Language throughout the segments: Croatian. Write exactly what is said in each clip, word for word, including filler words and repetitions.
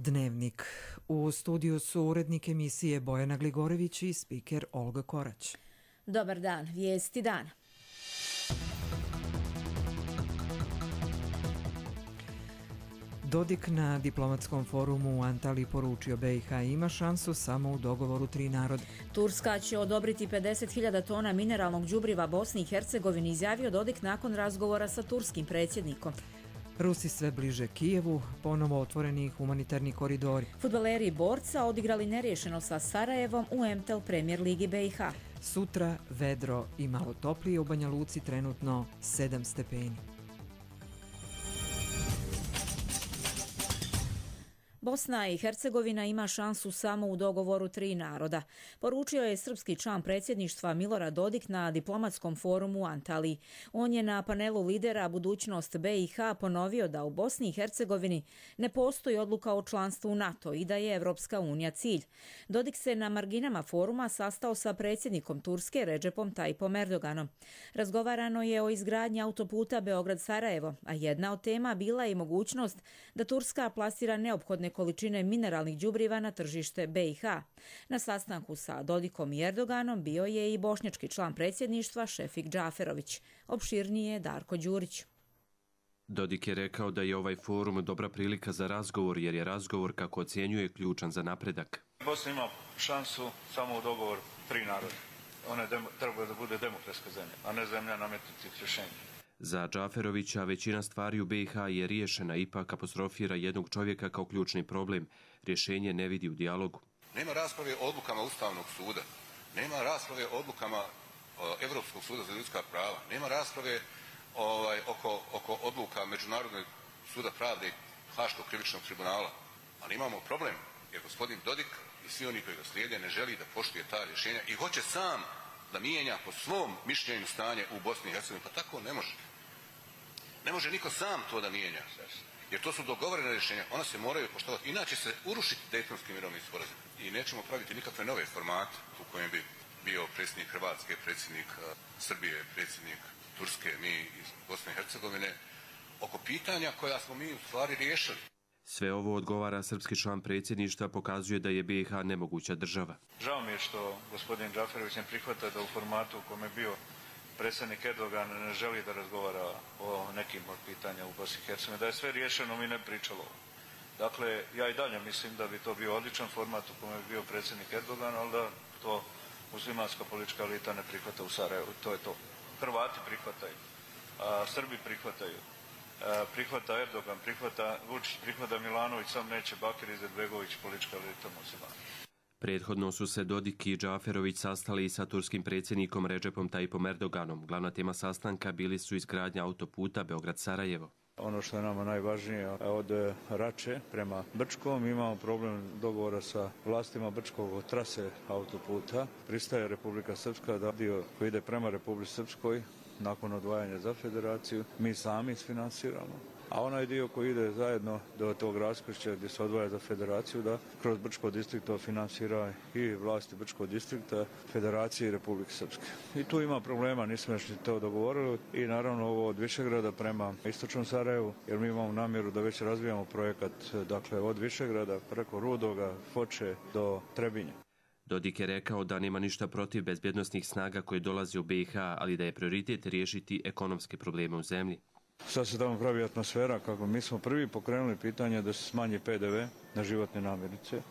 Dnevnik. U studiju su urednik emisije Bojana Gligorević i spiker Olga Korać. Dobar dan, vijesti dana. Dodik na diplomatskom forumu u Antaliji poručio B i H ima šansu samo u dogovoru tri naroda. Turska će odobriti pedeset hiljada tona mineralnog đubriva Bosni i Hercegovini, izjavio Dodik nakon razgovora sa turskim predsjednikom. Rusi sve bliže Kijevu, ponovo otvoreni humanitarni koridori. Fudbaleri Borca odigrali neriješeno sa Sarajevom u M T L Premier Ligi B i H. Sutra vedro i malo toplije, u Banja Luci trenutno sedam stepeni. Bosna i Hercegovina ima šansu samo u dogovoru tri naroda, poručio je srpski član predsjedništva Milorad Dodik na diplomatskom forumu u Antaliji. On je na panelu lidera Budućnost B i H ponovio da u Bosni i Hercegovini ne postoji odluka o članstvu u NATO i da je Evropska unija cilj. Dodik se na marginama foruma sastao sa predsjednikom Turske Redžepom Tajipom Erdoganom. Razgovarano je o izgradnji autoputa Beograd-Sarajevo, a jedna od tema bila je i mogućnost da Turska plasira neophodne količine mineralnih đubriva na tržište B i H. Na sastanku sa Dodikom i Erdoganom bio je i bošnjački član predsjedništva Šefik Džaferović. Opširnije Darko Đurić. Dodik je rekao da je ovaj forum dobra prilika za razgovor, jer je razgovor, kako ocjenjuje, ključan za napredak. Bosna ima šansu samo u dogovoru tri naroda. Ona treba da bude demokratska zemlja, a ne zemlja nametnutih rješenja. Za Džaferovića većina stvari u B i H je riješena, ipak apostrofira jednog čovjeka kao ključni problem. Rješenje ne vidi u dijalogu. Nema rasprave o odlukama Ustavnog suda, nema rasprave o odlukama Evropskog suda za ljudska prava, nema rasprave ovaj, oko, oko odluka Međunarodnog suda pravde Haškog krivičnog tribunala. Ali imamo problem, jer gospodin Dodik i svi oni koji ga slijede ne želi da poštuje ta rješenja i hoće sam da mijenja po svom mišljenju stanje u Bosni i Hercegovini. Pa tako ne može. Ne može niko sam to da mijenja. Jer to su dogovorene rješenja. Ona se moraju poštovati. Inače se urušiti Dejtonski mirovni sporazum. I nećemo praviti nikakve nove formate u kojem bi bio predsjednik Hrvatske, predsjednik Srbije, predsjednik Turske, mi iz Bosne i Hercegovine, oko pitanja koja smo mi u stvari riješili. Sve ovo, odgovara srpski član predsjedništva, pokazuje da je B i H nemoguća država. Žao mi je što gospodin Džaferović ne prihvata da u formatu u kome je bio predsjednik Erdogan ne želi da razgovara o nekim od pitanja u Bosni i Hercegovini. Da je sve riješeno, mi ne pričalo. Dakle, ja i dalje mislim da bi to bio odličan format u kome je bio predsjednik Erdogan, ali da to muslimanska politička elita ne prihvata u Sarajevu. To je to. Hrvati prihvataju, a Srbi prihvataju. Prihvata Erdogan, prihvata Vučić, prihvata Milanović, sam neće Bakir Izetbegović, politička elita muslimana. Prethodno su se Dodik i Džaferović sastali i sa turskim predsjednikom Redžepom Tajipom Erdoganom. Glavna tema sastanka bili su izgradnja autoputa Beograd-Sarajevo. Ono što je nama najvažnije, od Rače prema Brčkom imamo problem dogovora sa vlastima Brčkog od trase autoputa. Pristaje Republika Srpska da dio koji ide prema Republici Srpskoj nakon odvajanja za federaciju mi sami isfinansiramo. A onaj dio koji ide zajedno do tog raskršća gdje se odvaja za federaciju, da kroz Brčko distrikto finansira i vlasti Brčkog distrikta, Federacije i Republike Srpske. I tu ima problema, nismo još ni to dogovorili i naravno ovo od Višegrada prema istočnom Sarajevu, jer mi imamo namjeru da već razvijamo projekat, dakle od Višegrada preko Rudoga, Foče do Trebinja. Dodik je rekao da nema ništa protiv bezbjednosnih snaga koje dolaze u B i H, ali da je prioritet riješiti ekonomske probleme u zemlji. Sad se tamo pravi atmosfera kako mi smo prvi pokrenuli pitanje da se smanji P D V na životne namirnice,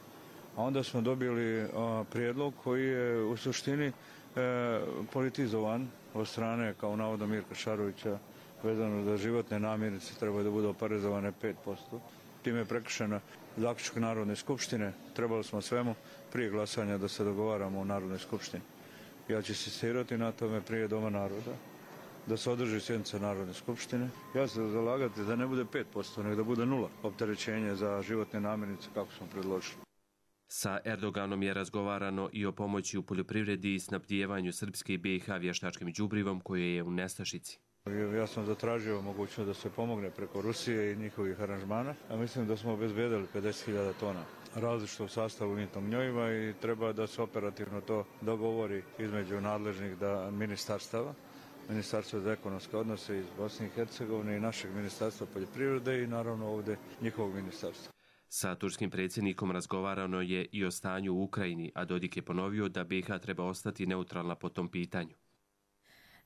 a onda smo dobili a, prijedlog koji je u suštini e, politizovan od strane, kao navodno Mirka Šarovića, vezano da životne namirnice trebaju da budu oporezovane pet posto. Time je prekršena zaključak Narodne skupštine. Trebali smo svemu prije glasanja da se dogovaramo u Narodnoj skupštini. Ja ću insistirati na tome prije Doma naroda, da se održi sjednica Narodne skupštine. Ja se zalagati da ne bude pet posto, nego da bude nula opterećenje za životne namirnice kako smo predložili. Sa Erdoganom je razgovarano i o pomoći u poljoprivredi i snabdijevanju Srpske i B i H vještačkim đubrivom koje je u nestašici. Ja sam zatražio mogućnost da se pomogne preko Rusije i njihovih aranžmana, a mislim da smo obezbedili pedeset hiljada tona različitog sastava umjetnog gnojiva i treba da se operativno to dogovori između nadležnih da ministarstava. Ministarstvo za ekonomske odnose iz Bosne i Hercegovine i našeg ministarstva poljoprivrede i naravno ovdje njihovog ministarstva. Sa turskim predsjednikom razgovarano je i o stanju u Ukrajini, a Dodik je ponovio da B iH treba ostati neutralna po tom pitanju.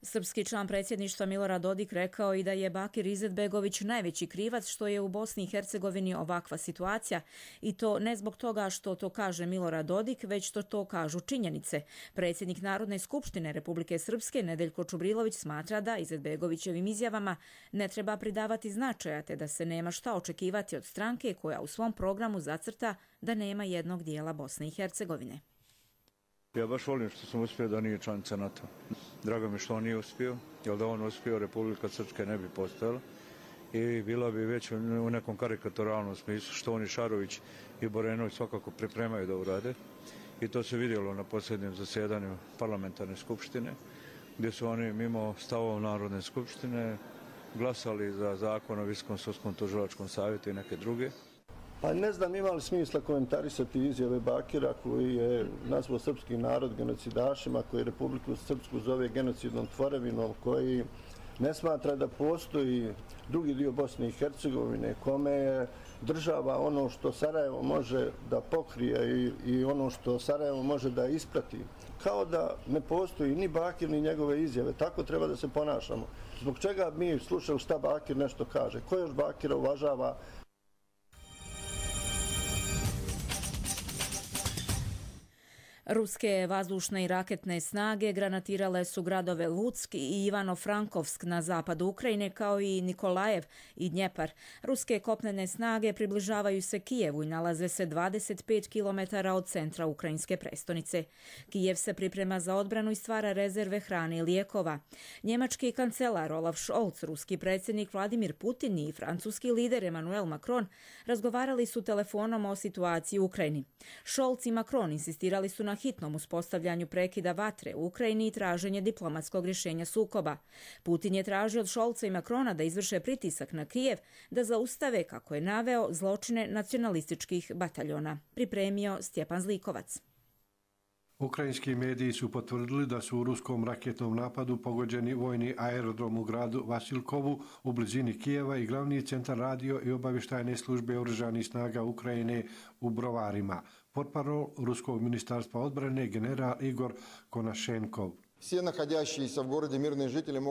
Srpski član predsjedništva Milorad Dodik rekao i da je Bakir Izetbegović najveći krivac što je u Bosni i Hercegovini ovakva situacija i to ne zbog toga što to kaže Milorad Dodik, već što to kažu činjenice. Predsjednik Narodne skupštine Republike Srpske Nedeljko Čubrilović smatra da Izetbegovićevim izjavama ne treba pridavati značaja te da se nema šta očekivati od stranke koja u svom programu zacrta da nema jednog dijela Bosne i Hercegovine. Ja baš volim što sam uspio da nije članica NATO. Drago mi što on nije uspio, jer da on uspio, Republika Srpska ne bi postojala i bila bi već u nekom karikaturalnom smislu što oni Šarović i Borenović svakako pripremaju da urade. I to se vidjelo na posljednjem zasjedanju parlamentarne skupštine, gdje su oni mimo stavova Narodne skupštine glasali za zakon o Visokom sudskom tužilačkom savjetu i neke druge. Pa ne znam ima li smisla komentarisati izjave Bakira koji je nazvao srpski narod genocidašima, koji Republiku Srpsku zove genocidnom tvorevinom, koji ne smatra da postoji drugi dio Bosne i Hercegovine, kome je država ono što Sarajevo može da pokrije i, i ono što Sarajevo može da isprati. Kao da ne postoji ni Bakir ni njegove izjave. Tako treba da se ponašamo. Zbog čega mi slušali šta Bakir nešto kaže? Ko još Bakira uvažava? Ruske vazdušne i raketne snage granatirale su gradove Lutsk i Ivano-Frankovsk na zapadu Ukrajine, kao i Nikolajev i Dnjepar. Ruske kopnene snage približavaju se Kijevu i nalaze se dvadeset pet kilometara od centra ukrajinske prestonice. Kijev se priprema za odbranu i stvara rezerve hrane i lijekova. Njemački kancelar Olaf Scholz, ruski predsjednik Vladimir Putin i francuski lider Emmanuel Macron razgovarali su telefonom o situaciji u Ukrajini. Scholz i Macron insistirali su na hitnom uspostavljanju prekida vatre u Ukrajini i traženje diplomatskog rješenja sukoba. Putin je tražio od Scholza i Macrona da izvrše pritisak na Kijev da zaustave, kako je naveo, zločine nacionalističkih bataljona. Pripremio Stjepan Zlikovac. Ukrajinski mediji su potvrdili da su u ruskom raketnom napadu pogođeni vojni aerodrom u gradu Vasilkovu u blizini Kijeva i glavni centar radio i obavještajne službe oružanih snaga Ukrajine u Brovarima. Portparol ruskog ministarstva odbrane general Igor Konašenkov.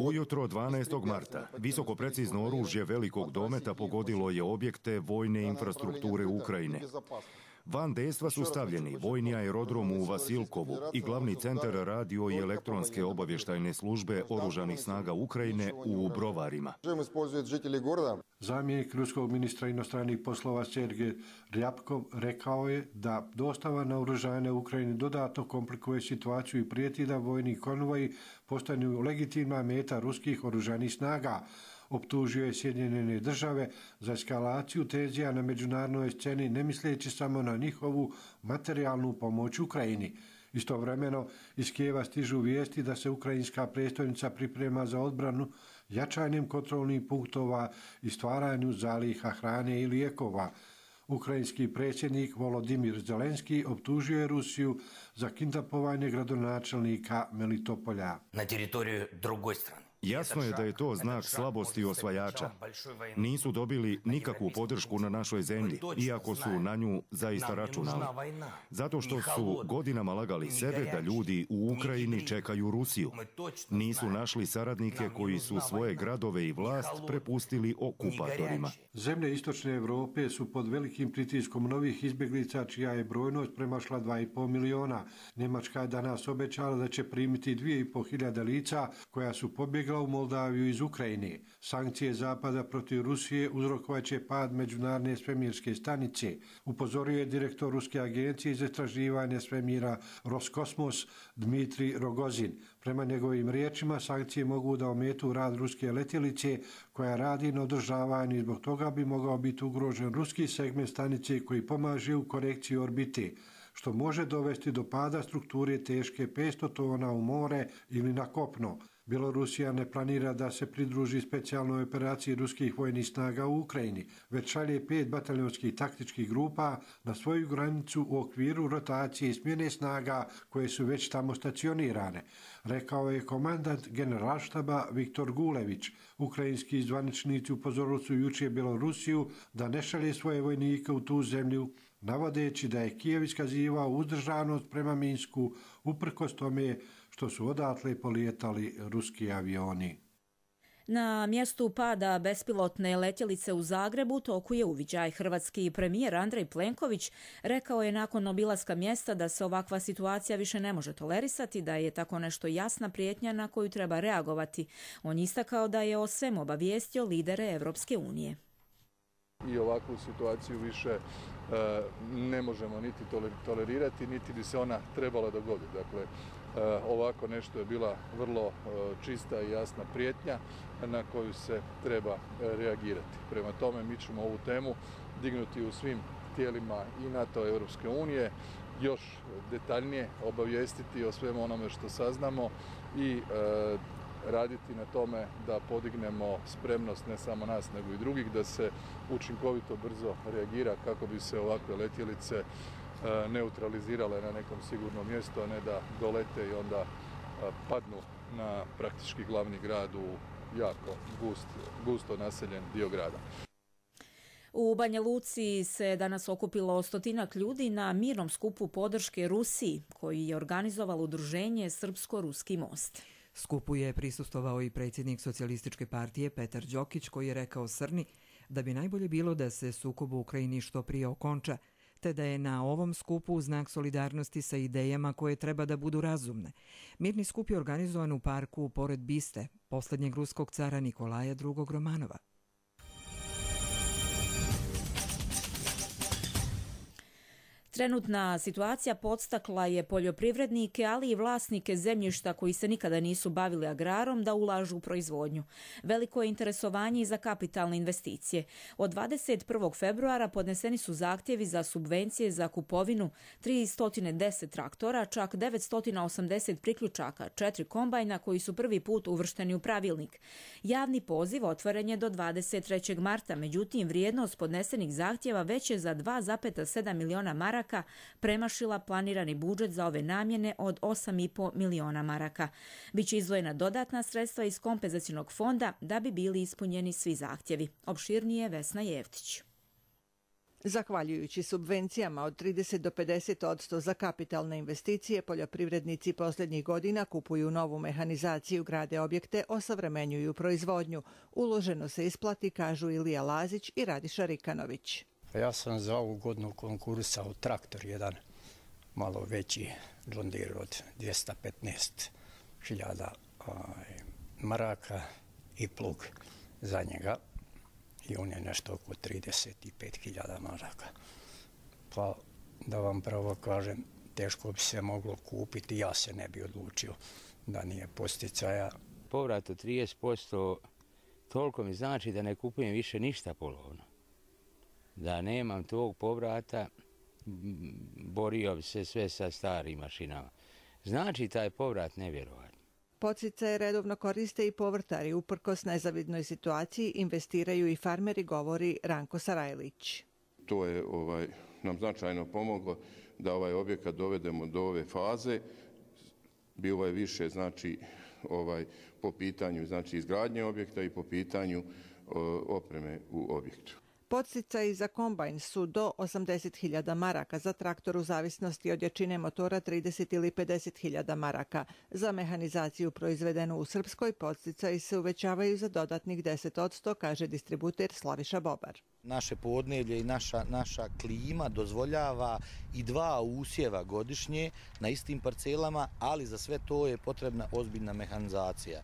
Ujutro dvanaestog marta visoko precizno oružje velikog dometa pogodilo je objekte vojne infrastrukture Ukrajine. Van dejstva su stavljeni vojni aerodrom u Vasilkovu i glavni centar radio i elektronske obavještajne službe oružanih snaga Ukrajine u Brovarima. Zamjenik ruskog ministra inostranih poslova Sergej Ryabkov rekao je da dostava naoružanja Ukrajini dodatno komplikuje situaciju i prijeti da vojni konvoji postanu legitimna meta ruskih oružanih snaga. Optužio je Sjedinjene države za eskalaciju tenzija na međunarodnoj sceni, ne misleći samo na njihovu materijalnu pomoć Ukrajini. Istovremeno iz Kijeva stižu vijesti da se ukrajinska prestolnica priprema za odbranu jačanjem kontrolnih punktova i stvaranju zaliha hrane i lijekova. Ukrajinski predsjednik Volodimir Zelenski optužio je Rusiju za kidnapovanje gradonačelnika Melitopolja. Na teritoriju drugoj strane. Jasno je da je to znak slabosti osvajača. Nisu dobili nikakvu podršku na našoj zemlji, iako su na nju zaista računali. Zato što su godinama lagali sebe da ljudi u Ukrajini čekaju Rusiju. Nisu našli saradnike koji su svoje gradove i vlast prepustili okupatorima. Zemlje istočne Europe su pod velikim pritiskom novih izbjeglica čija je brojnost premašla dva i pol miliona. Njemačka je danas obećala da će primiti dvije i pol hiljade lica koja su pobjegla u Moldaviju iz Ukrajine. Sankcije Zapada protiv Rusije uzrokovat će pad međunarodne svemirske stanice, upozorio je direktor Ruske agencije za istraživanje svemira Roskosmos Dmitrij Rogozin. Prema njegovim riječima, sankcije mogu da ometu rad ruske letjelice koja radi na održavanju i zbog toga bi mogao biti ugrožen ruski segment stanice koji pomaže u korekciji orbite. što može dovesti do pada strukture teške petsto tona u more ili na kopno. Bjelorusija ne planira da se pridruži specijalnoj operaciji ruskih vojnih snaga u Ukrajini, već šalje pet bataljonskih taktičkih grupa na svoju granicu u okviru rotacije i smjene snaga koje su već tamo stacionirane, rekao je komandant generalštaba Viktor Gulević. Ukrajinski zvaničnici upozorili su jučer Bjelorusiju da ne šalje svoje vojnike u tu zemlju, navodeći da je Kijev iskazivao uzdržanost prema Minsku uprkos tome što su odatle polijetali ruski avioni. Na mjestu pada bespilotne letjelice u Zagrebu toku je uviđaj. Hrvatski premijer Andrej Plenković rekao je nakon obilaska mjesta da se ovakva situacija više ne može tolerisati, da je tako nešto jasna prijetnja na koju treba reagovati. On istakao da je o svemu obavijestio lidere Europske unije. I ovakvu situaciju više e, ne možemo niti tolerirati, niti bi se ona trebala dogoditi. Dakle, e, ovako nešto je bila vrlo e, čista i jasna prijetnja na koju se treba e, reagirati. Prema tome, mi ćemo ovu temu dignuti u svim tijelima i NATO i Europske unije, još detaljnije obavijestiti o svemu onome što saznamo i e, raditi na tome da podignemo spremnost ne samo nas nego i drugih, da se učinkovito brzo reagira kako bi se ovakve letjelice neutralizirale na nekom sigurnom mjestu, a ne da dolete i onda padnu na praktički glavni grad u jako gust, gusto naseljen dio grada. U Banja Luci se danas okupilo stotinak ljudi na mirnom skupu podrške Rusiji, koji je organizovalo udruženje Srpsko-Ruski most. Skupu je prisustvovao i predsjednik Socijalističke partije Petar Đokić, koji je rekao Srni da bi najbolje bilo da se sukob u Ukrajini što prije okonča, te da je na ovom skupu znak solidarnosti sa idejama koje treba da budu razumne. Mirni skup je organizovan u parku pored biste posljednjeg ruskog cara Nikolaja drugog Romanova. Trenutna situacija podstakla je poljoprivrednike, ali i vlasnike zemljišta koji se nikada nisu bavili agrarom da ulažu u proizvodnju. Veliko je interesovanje i za kapitalne investicije. Od dvadeset prvog februara podneseni su zahtjevi za subvencije za kupovinu tristo deset traktora, čak devetsto osamdeset priključaka, četiri kombajna koji su prvi put uvršteni u pravilnik. Javni poziv otvoren je do dvadeset trećeg marta, međutim vrijednost podnesenih zahtjeva već je za dva zarez sedam miliona maraka premašila planirani budžet za ove namjene od osam zarez pet miliona maraka. Biće izdvojena dodatna sredstva iz kompenzacionog fonda da bi bili ispunjeni svi zahtjevi. Opširnije Vesna Jevtić. Zahvaljujući subvencijama od trideset do pedeset posto za kapitalne investicije, poljoprivrednici posljednjih godina kupuju novu mehanizaciju, grade objekte, osavremenjuju proizvodnju. Uloženo se isplati, kažu Ilija Lazić i Radiša Rikanović. Ja sam za ovu godinu konkurisao traktor jedan, malo veći, John Deere od dvjesto petnaest hiljada maraka i plug za njega. I on je nešto oko trideset pet hiljada maraka. Pa da vam pravo kažem, teško bi se moglo kupiti, ja se ne bi odlučio da nije posticaja. Povrat od trideset posto toliko mi znači da ne kupujem više ništa polovno. Da nemam tog povrata, borio bi se sve sa starim mašinama. Znači taj povrat nevjerovatno. Podsticaje redovno koriste i povrtari. Uprkos nezavidnoj situaciji investiraju i farmeri, govori Ranko Sarajlić. To je ovaj, nam značajno pomoglo da ovaj objekat dovedemo do ove faze. Bilo je više znači, ovaj, po pitanju znači, izgradnje objekta i po pitanju o, opreme u objektu. Podsticaji za kombajn su do osamdeset hiljada maraka, za traktor u zavisnosti od jačine motora trideset ili pedeset hiljada maraka. Za mehanizaciju proizvedenu u Srpskoj podsticaji se uvećavaju za dodatnih deset posto, kaže distributer Slaviša Bobar. Naše podneblje i naša, naša klima dozvoljava i dva usjeva godišnje na istim parcelama, ali za sve to je potrebna ozbiljna mehanizacija.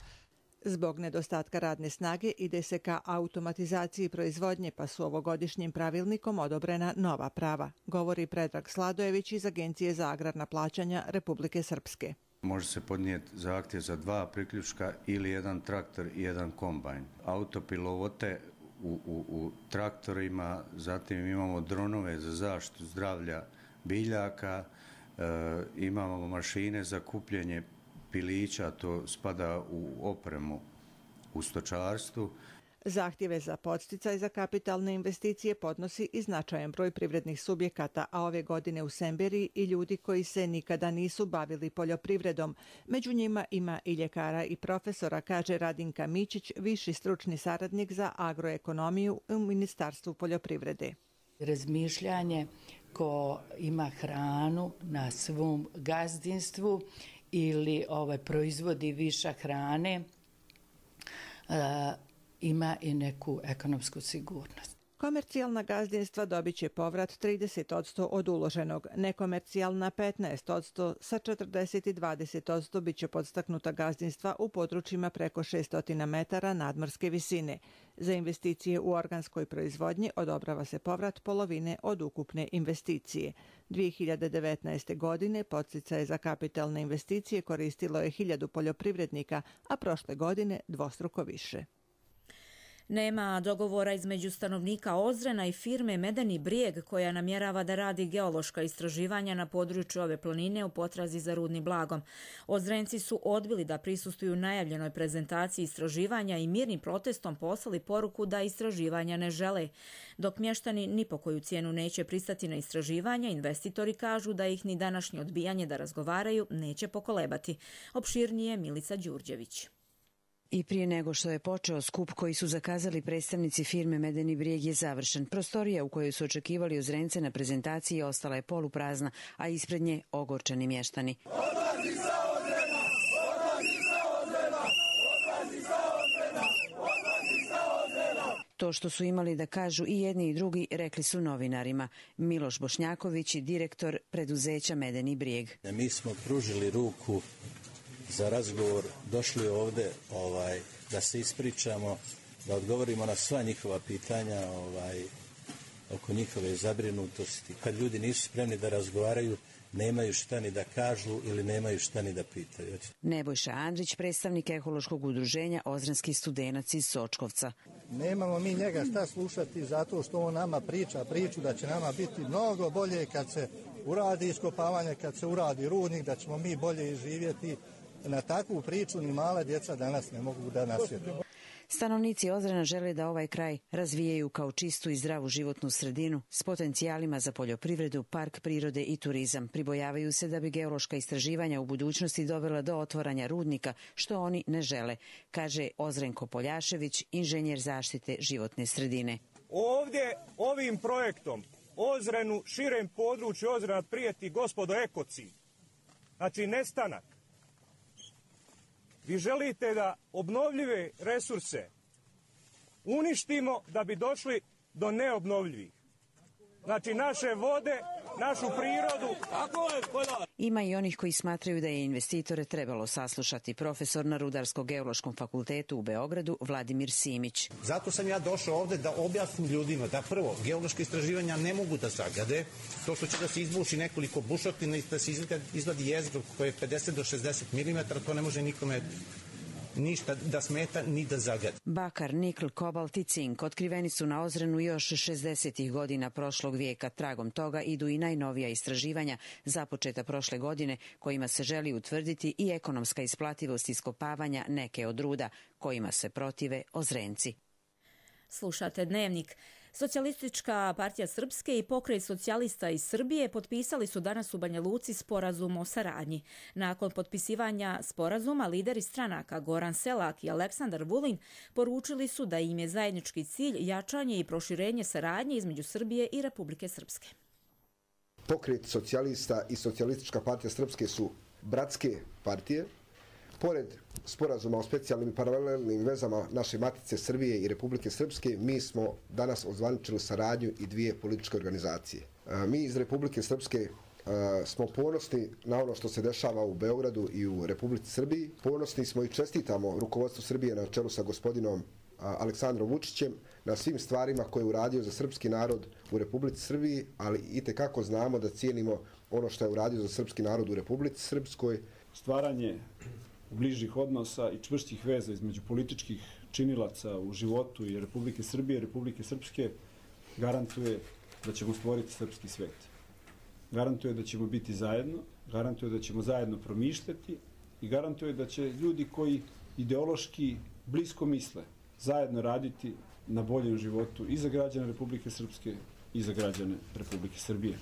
Zbog nedostatka radne snage ide se ka automatizaciji proizvodnje, pa su ovogodišnjim pravilnikom odobrena nova prava, govori Predrag Sladojević iz Agencije za agrarna plaćanja Republike Srpske. Može se podnijeti zahtjev za dva priključka ili jedan traktor i jedan kombajn. Autopilote u, u, u traktorima, zatim imamo dronove za zaštitu zdravlja biljaka, imamo mašine za kupljenje pilića, to spada u opremu u stočarstvu. Zahtjeve za podsticaj za kapitalne investicije podnosi i značajan broj privrednih subjekata, a ove godine u Semberiji i ljudi koji se nikada nisu bavili poljoprivredom. Među njima ima i ljekara i profesora, kaže Radinka Mićić, viši stručni saradnik za agroekonomiju u Ministarstvu poljoprivrede. Razmišljanje ko ima hranu na svom gazdinstvu ili ovaj, proizvodi viša hrane, uh, ima i neku ekonomsku sigurnost. Komercijalna gazdinstva dobit će povrat trideset posto od uloženog, nekomercijalna petnaest posto, sa četrdeset i dvadeset posto bit će podstaknuta gazdinstva u područjima preko šesto metara nadmorske visine. Za investicije u organskoj proizvodnji odobrava se povrat polovine od ukupne investicije. dvije hiljade devetnaeste. godine podsticaje za kapitalne investicije koristilo je hiljadu poljoprivrednika, a prošle godine dvostruko više. Nema dogovora između stanovnika Ozrena i firme Medeni brijeg koja namjerava da radi geološka istraživanja na području ove planine u potrazi za rudnim blagom. Ozrenci su odbili da prisustvuju najavljenoj prezentaciji istraživanja i mirnim protestom poslali poruku da istraživanja ne žele. Dok mještani ni po koju cijenu neće pristati na istraživanja, investitori kažu da ih ni današnje odbijanje da razgovaraju neće pokolebati. Opširnije Milica Đurđević. I prije nego što je počeo skup koji su zakazali predstavnici firme Medeni brijeg je završen. Prostorija u kojoj su očekivali Ozrence na prezentaciji ostala je poluprazna, a ispred nje ogorčeni mještani. Odlazi sa Ozrena! Odlazi sa Ozrena! Odlazi sa Ozrena! Odlazi sa Ozrena! To što su imali da kažu i jedni i drugi rekli su novinarima. Miloš Bošnjaković je direktor preduzeća Medeni brijeg. Mi smo pružili ruku za razgovor, došli ovdje ovaj, da se ispričamo, da odgovorimo na sva njihova pitanja ovaj, oko njihove zabrinutosti. Kad ljudi nisu spremni da razgovaraju, nemaju šta ni da kažu ili nemaju šta ni da pitaju. Nebojša Andrić, predstavnik ekološkog udruženja Ozrenski studenac iz Sočkovca. Nemamo mi njega šta slušati zato što on nama priča priču da će nama biti mnogo bolje kad se uradi iskopavanje, kad se uradi rudnik, da ćemo mi bolje živjeti. Na takvu priču ni mala djeca danas ne mogu da nasjede. Stanovnici Ozrena žele da ovaj kraj razvijaju kao čistu i zdravu životnu sredinu s potencijalima za poljoprivredu, park prirode i turizam. Pribojavaju se da bi geološka istraživanja u budućnosti dovela do otvaranja rudnika, što oni ne žele, kaže Ozrenko Poljašević, inženjer zaštite životne sredine. Ovdje ovim projektom Ozrenu, širem području Ozrena prijeti gospodo ekocid. Znači nestanak. Vi želite da obnovljive resurse uništimo da bi došli do neobnovljivih. Znači naše vode, našu prirodu. Ima i onih koji smatraju da je investitore trebalo saslušati. Profesor na Rudarsko-geološkom fakultetu u Beogradu Vladimir Simić. Zato sam ja došao ovdje da objasnim ljudima da prvo, geološke istraživanja ne mogu da zagade. To što će da se izbuši nekoliko bušotina i da se izvadi jezgro koje je pedeset do šezdeset milimetara, to ne može nikome ništa da smeta ni da zagadi. Bakar, nikl, kobalt i cink otkriveni su na Ozrenu još šezdesetih godina prošlog vijeka. Tragom toga idu i najnovija istraživanja započeta prošle godine kojima se želi utvrditi i ekonomska isplativost iskopavanja neke od ruda kojima se protive Ozrenci. Slušate Dnevnik. Socijalistička partija Srpske i pokret socijalista iz Srbije potpisali su danas u Banja Luci sporazum o saradnji. Nakon potpisivanja sporazuma, lideri stranaka Goran Selak i Aleksandar Vulin poručili su da im je zajednički cilj jačanje i proširenje saradnje između Srbije i Republike Srpske. Pokret socijalista i Socijalistička partija Srpske su bratske partije. Pored sporazuma o specijalnim i paralelnim vezama naše matice Srbije i Republike Srpske, mi smo danas ozvaničili saradnju i dvije političke organizacije. Mi iz Republike Srpske smo ponosni na ono što se dešava u Beogradu i u Republici Srbiji. Ponosni smo i čestitamo rukovodstvu Srbije na čelu sa gospodinom Aleksandrom Vučićem na svim stvarima koje je uradio za srpski narod u Republici Srbiji, ali itekako znamo da cijenimo ono što je uradio za srpski narod u Republici Srpskoj. Stvaranje bližih odnosa i čvrstih veza između političkih činilaca u životu i Republike Srbije i Republike Srpske garantuje da ćemo stvoriti srpski svet. garantuje da ćemo biti zajedno, garantuje da ćemo zajedno promišljati i garantuje da će ljudi koji ideološki blisko misle zajedno raditi na boljem životu i za građane Republike Srpske i za građane Republike Srbije.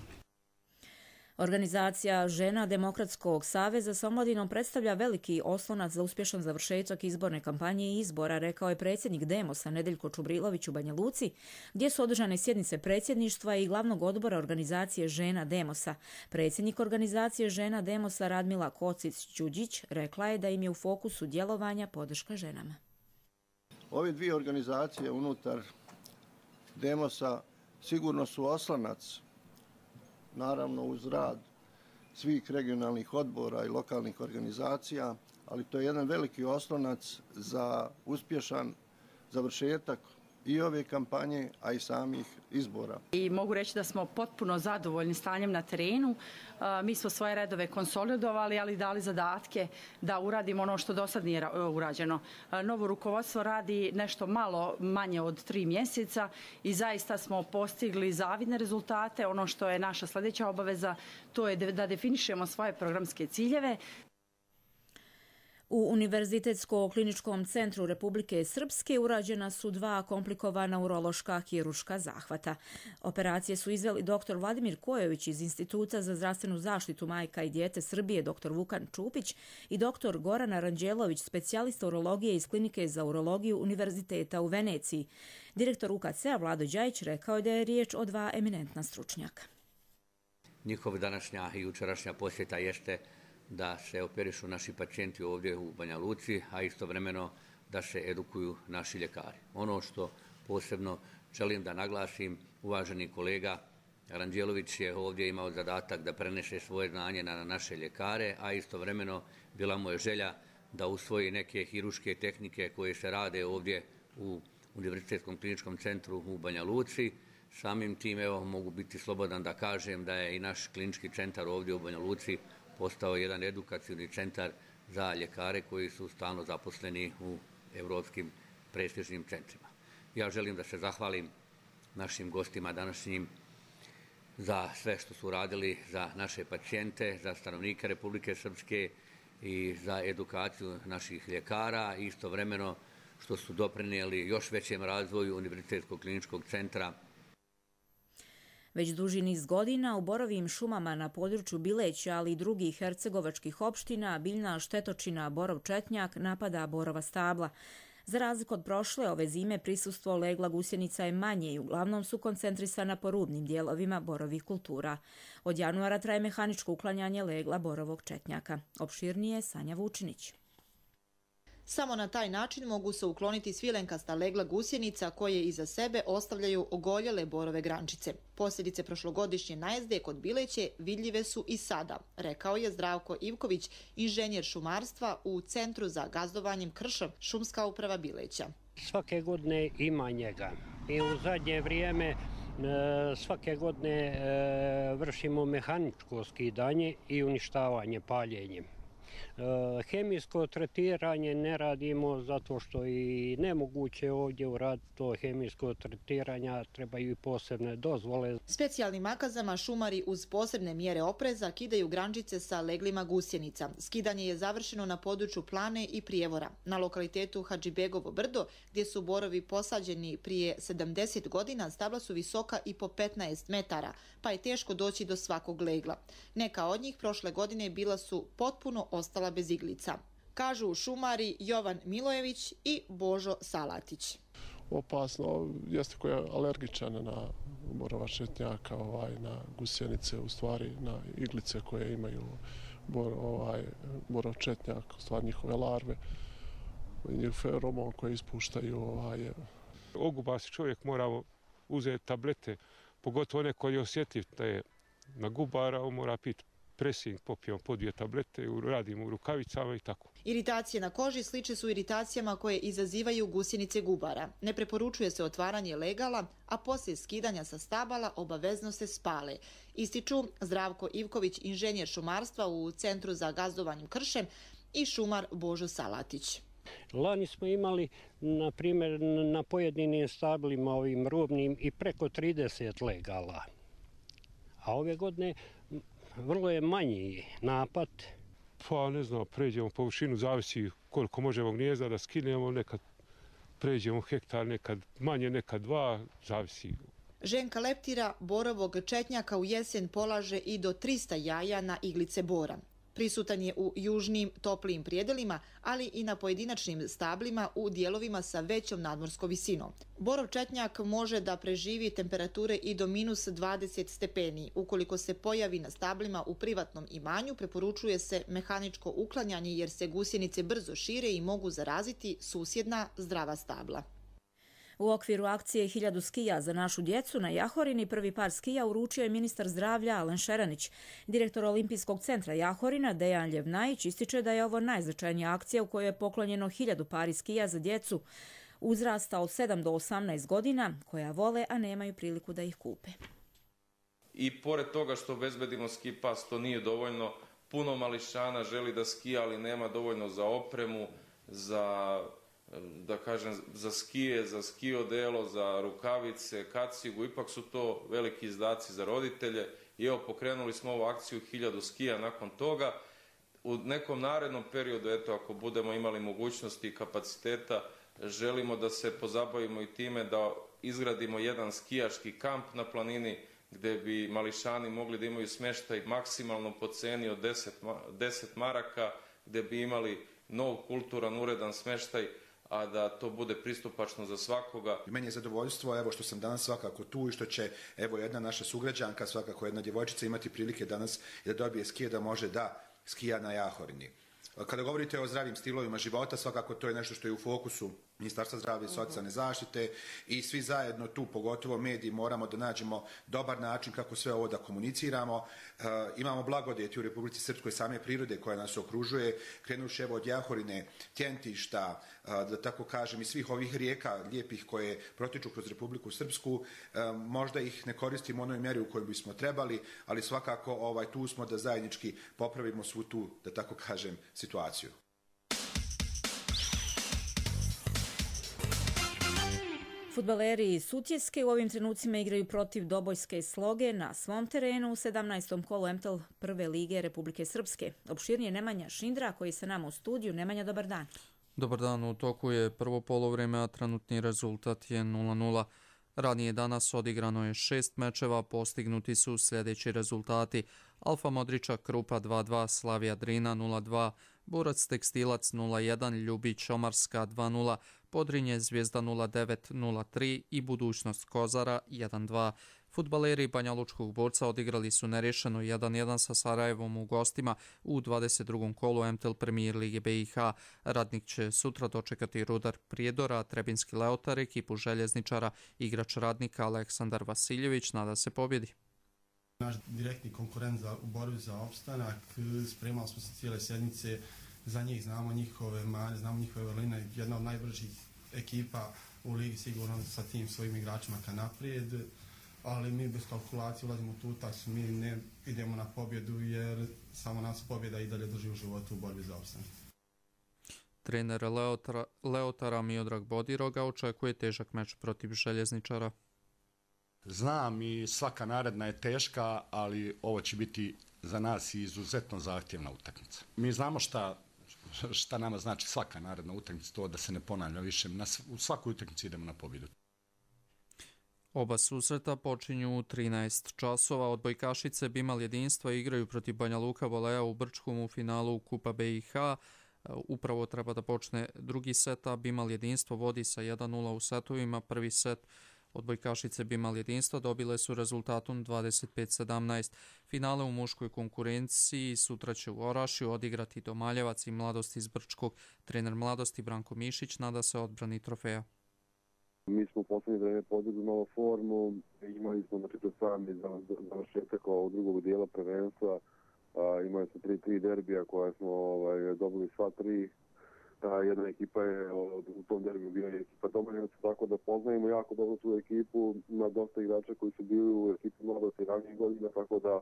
Organizacija Žena Demokratskog saveza sa omladinom predstavlja veliki oslonac za uspješan završetak izborne kampanje i izbora, rekao je predsjednik Demosa Nedeljko Čubrilović u Banja Luci, gdje su održane sjednice predsjedništva i glavnog odbora organizacije Žena Demosa. Predsjednik organizacije Žena Demosa Radmila Kocić-Đuđić rekla je da im je u fokusu djelovanja podrška ženama. Ove dvije organizacije unutar Demosa sigurno su oslonac, naravno uz rad svih regionalnih odbora i lokalnih organizacija, ali to je jedan veliki oslonac za uspješan završetak i ove kampanje, a i samih izbora. I mogu reći da smo potpuno zadovoljni stanjem na terenu. Mi smo svoje redove konsolidovali, ali dali zadatke da uradimo ono što do sad nije urađeno. Novo rukovodstvo radi nešto malo manje od tri mjeseca i zaista smo postigli zavidne rezultate. Ono što je naša sljedeća obaveza, to je da definišemo svoje programske ciljeve. U Univerzitetsko-kliničkom centru Republike Srpske urađena su dva komplikovana urološka kirurška zahvata. Operacije su izveli doktor Vladimir Kojović iz Instituta za zdravstvenu zaštitu majka i dijete Srbije, doktor Vukan Čupić i doktor Gorana Ranđelović, specijalista urologije iz Klinike za urologiju Univerziteta u Veneciji. Direktor U K C-a Vlado Đajić rekao je da je riječ o dva eminentna stručnjaka. Njihova današnja i jučerašnja posjeta jeste da se operišu naši pacijenti ovdje u Banja Luci, a istovremeno da se edukuju naši ljekari. Ono što posebno želim da naglasim, uvaženi kolega Ranđelović je ovdje imao zadatak da prenese svoje znanje na naše ljekare, a istovremeno bila mu je želja da usvoji neke hiruške tehnike koje se rade ovdje u Univerzitetskom kliničkom centru u Banja Luci. Samim tim evo, mogu biti slobodan da kažem da je i naš klinički centar ovdje u Banja Luci postao jedan edukacijni centar za ljekare koji su stalno zaposleni u evropskim prestižnim centrima. Ja želim da se zahvalim našim gostima današnjim za sve što su radili za naše pacijente, za stanovnike Republike Srpske i za edukaciju naših ljekara i istovremeno što su doprinijeli još većem razvoju Univerzitetskog kliničkog centra. Već duži niz godina u borovim šumama na području Bileća, ali i drugih hercegovačkih opština, biljna štetočina borov četnjak napada borova stabla. Za razliku od prošle, ove zime prisustvo legla gusjenica je manje i uglavnom su koncentrisana po rubnim dijelovima borovih kultura. Od januara traje mehaničko uklanjanje legla borovog četnjaka. Opširnije Sanja Vučinić. Samo na taj način mogu se ukloniti svilenkasta legla gusjenica koje iza sebe ostavljaju ogoljele borove grančice. Posljedice prošlogodišnje najezde kod Bileće vidljive su i sada, rekao je Zdravko Ivković, inženjer šumarstva u Centru za gazdovanjem Kršom, šumska uprava Bileća. Svake godine ima njega i u zadnje vrijeme svake godine vršimo mehaničko skidanje i uništavanje paljenjem. Hemijsko tretiranje ne radimo zato što i nemoguće ovdje uraditi to hemijsko tretiranja, trebaju i posebne dozvole. Specijalnim makazama šumari uz posebne mjere opreza kidaju grančice sa leglima gusjenica. Skidanje je završeno na području Plane i Prijevora. Na lokalitetu Hadžibegovo brdo, gdje su borovi posađeni prije sedamdeset godina, stabla su visoka i po petnaest metara, pa je teško doći do svakog legla. Neka od njih prošle godine bila su potpuno ostala bez iglica, kažu šumari Jovan Milojević i Božo Salatić. Opasno jeste koja je alergičan na borova četnjaka, ovaj, na gusjenice, u stvari na iglice koje imaju bor, ovaj, borov četnjak, u stvari njihove larve, njih feromon koje ispuštaju. Ovaj. Oguba se čovjek mora uzeti tablete, pogotovo one koji je osjetljiv da je na gubara, on mora piti presing, popijemo po dvije tablete, radimo u rukavicama i tako. Iritacije na koži sliče su iritacijama koje izazivaju gusjenice gubara. Ne preporučuje se otvaranje legala, a poslije skidanja sa stabala obavezno se spale. Ističu Zdravko Ivković, inženjer šumarstva u Centru za gazdovanjem Kršem i šumar Božo Salatić. Lani smo imali, na primjer, na pojedinim stablima ovim rubnim i preko trideset legala. A ove godine vrlo je manji napad. Pa ne znam, pređemo površinu, zavisi koliko možemo gnijezda da skinemo, nekad pređemo hektar, nekad manje, nekad dva, zavisi. Ženka leptira borovog četnjaka u jesen polaže i do trista jaja na iglice bora. Prisutan je u južnim toplijim prijedelima, ali i na pojedinačnim stablima u dijelovima sa većom nadmorskom visinom. Borov četnjak može da preživi temperature i do minus dvadeset stepeni. Ukoliko se pojavi na stablima u privatnom imanju, preporučuje se mehaničko uklanjanje jer se gusjenice brzo šire i mogu zaraziti susjedna zdrava stabla. U okviru akcije Hiljadu skija za našu djecu na Jahorini prvi par skija uručio je ministar zdravlja Alen Šeranić. Direktor Olimpijskog centra Jahorina Dejan Ljevnajić ističe da je ovo najznačajnija akcija u kojoj je poklonjeno hiljadu pari skija za djecu uzrasta od sedam do osamnaest godina koja vole, a nemaju priliku da ih kupe. I pored toga što obezbedimo ski pas, to nije dovoljno. Puno mališana želi da skija, ali nema dovoljno za opremu, za da kažem, za skije, za ski odelo, za rukavice, kacigu, ipak su to veliki izdaci za roditelje i evo pokrenuli smo ovu akciju hiljadu skija nakon toga. U nekom narednom periodu, eto, ako budemo imali mogućnosti i kapaciteta, želimo da se pozabavimo i time da izgradimo jedan skijaški kamp na planini gdje bi mališani mogli da imaju smještaj maksimalno po ceni od deset maraka, gdje bi imali nov kulturan, uredan smještaj, a da to bude pristupačno za svakoga. Meni je zadovoljstvo evo što sam danas svakako tu i što će evo jedna naša sugrađanka, svakako jedna djevojčica imati prilike danas da dobije skije, da može da skija na Jahorini. Kada govorite o zdravim stilovima života, svakako to je nešto što je u fokusu Ministarstva zdravlja i socijalne zaštite i svi zajedno tu, pogotovo mediji, moramo da nađemo dobar način kako sve ovo da komuniciramo. E, imamo blagodeti u Republici Srpskoj same prirode koja nas okružuje, krenuši evo od Jahorine, Tjentišta, e, da tako kažem, i svih ovih rijeka lijepih koje protiču kroz Republiku Srpsku. E, možda ih ne koristimo u onoj mjeri u kojoj bismo trebali, ali svakako ovaj, tu smo da zajednički popravimo svu tu, da tako kažem, situaciju. Fudbaleri iz Sutjeske u ovim trenucima igraju protiv Dobojske Sloge na svom terenu u sedamnaestom kolu M T L prve lige Republike Srpske. Opširnije Nemanja Šindra koji je sa nama u studiju. Nemanja, dobar dan. Dobar dan, u toku je prvo poluvreme, a trenutni rezultat je nula nula. Ranije danas odigrano je šest mečeva, postignuti su sljedeći rezultati. Alfa Modriča Krupa dva dva, Slavija Drina nula dva, Burac Tekstilac nula jedan, Ljubić Omarska dva nula, Podrinje Zvijezda nula devet nula tri i Budućnost Kozara jedan dva. Fudbaleri Banja Lučkog Borca odigrali su nerješeno jedan jedan sa Sarajevom u gostima u dvadeset drugom kolu M T L Premier Lige B i H. Radnik će sutra dočekati Rudar Prijedora, Trebinski Leotar, ekipu željezničara. Igrač Radnika Aleksandar Vasiljević nada se pobjedi. Naš direktni konkurent za, u borbi za opstanak, spremali smo se cijele sjednice, za njih znamo njihove mane, znamo njihove vrline, jedna od najbržih ekipa u ligi sigurno sa tim svojim igračima ka naprijed, ali mi bez kalkulacije ulazimo u tu utakmicu, mi ne idemo na pobjedu jer samo nas pobjeda i dalje drži u životu u borbi za opstanak. Trener Leotara, Leotara Miodrag Bodiroga očekuje težak meč protiv željezničara. Znam i svaka naredna je teška, ali ovo će biti za nas izuzetno zahtjevna utakmica. Mi znamo šta, šta nama znači svaka naredna utakmica, to da se ne ponavlja više. Na, u svaku utakmicu idemo na pobjedu. Oba susreta počinju u trinaest časova. Odbojkašice Bimal jedinstva igraju protiv Banja Luka Voleja u Brčkom u finalu Kupa B i H. Upravo treba da počne drugi set, a Bimal jedinstvo vodi sa jedan nula u setovima. Prvi set odbojkašice Bimal jedinstva dobile su rezultatom dvadeset pet sedamnaest. Finale u muškoj konkurenciji sutra će u Orašju odigrati Domaljevac i Mladost iz Brčkog. Trener Mladosti Branko Mišić nada se odbrani trofeja. Mi smo u posljednje vreme podigli novu formu, imali smo znači pred sami završetak ovog drugog dijela prvenstva, imali smo tri tri derbija koja smo ovaj, dobili sva tri. A, jedna ekipa je u tom derbiju bio je ekipa Domaljevaca, tako da poznajemo jako dobro tu ekipu, ima dosta igrača koji su bili u ekipi Mladosti ranijih godina, tako da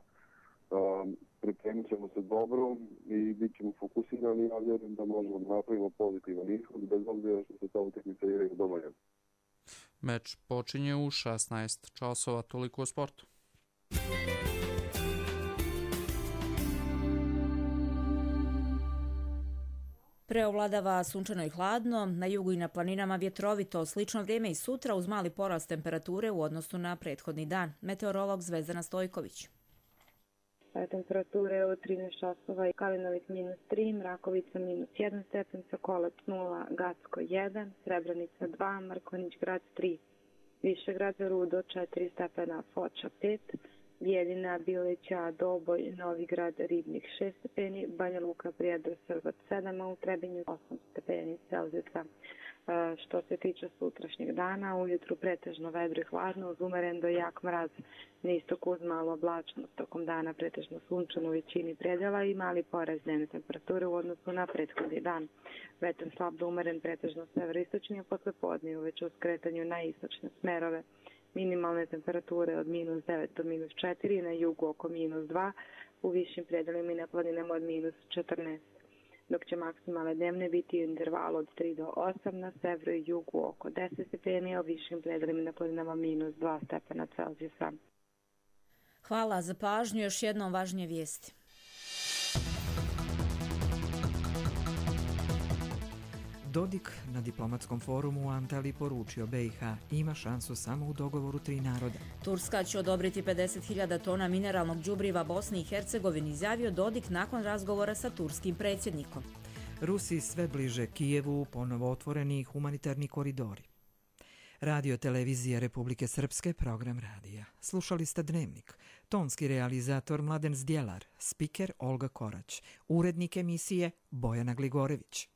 a, pripremit ćemo se dobro i bit ćemo fokusirani, a vjerujem da možemo da napravimo pozitivan ishod, bez obzira što se ta utakmica igra u Domaljevaca. Meč počinje u šesnaest časova, toliko o sportu. Preovladava sunčano i hladno, na jugu i na planinama vjetrovito, slično vrijeme i sutra uz mali porast temperature u odnosu na prethodni dan. Meteorolog Zvezdana Stojković. Temperature od trinaest časova i Kalinović minus tri, Mrakovica minus jedan stepen, Sokolac nula, Gacko jedan, Srebrenica dva, Mrkonjić grad tri, Višegrad, Rudo četiri stepena, Foča pet, Bijeljina, Bileća, Doboj, Novigrad, Ribnik šest stepeni, Banja Luka, Prijedor, Srbac sedam, a u Trebinju osam stepeni Celzijusa. Što se tiče sutrašnjeg dana, ujutru pretežno vedro i hladno, uz umeren do jak mraz, na istoku uz malo oblačnost, tokom dana pretežno sunčano u većini predjela i mali porast dnevne temperature u odnosu na prethodni dan. Vetar slab do umeren pretežno severoistočni, a posle podne uveć u skretanju na istočne smerove. Minimalne temperature od minus devet do minus četiri, na jugu oko minus dva, u višim predelima i na planinama od minus četrnaest. Dok će maksimalne dnevne biti u intervalu od tri do osam, na severu i jugu oko deset stepeni, a u višim predelima i na planinama minus dva stepena Celzijusa. Hvala za pažnju, još jednom važnije vijesti. Dodik na diplomatskom forumu u Antaliji poručio B i H ima šansu samo u dogovoru tri naroda. Turska će odobriti pedeset hiljada tona mineralnog đubriva Bosni i Hercegovini, izjavio Dodik nakon razgovora sa turskim predsjednikom. Rusiji sve bliže Kijevu ponovo otvoreni humanitarni koridori. Radio televizija Republike Srpske, program radija. Slušali ste Dnevnik. Tonski realizator Mladen Zdjelar, spiker Olga Korać, urednik emisije Bojana Gligorević.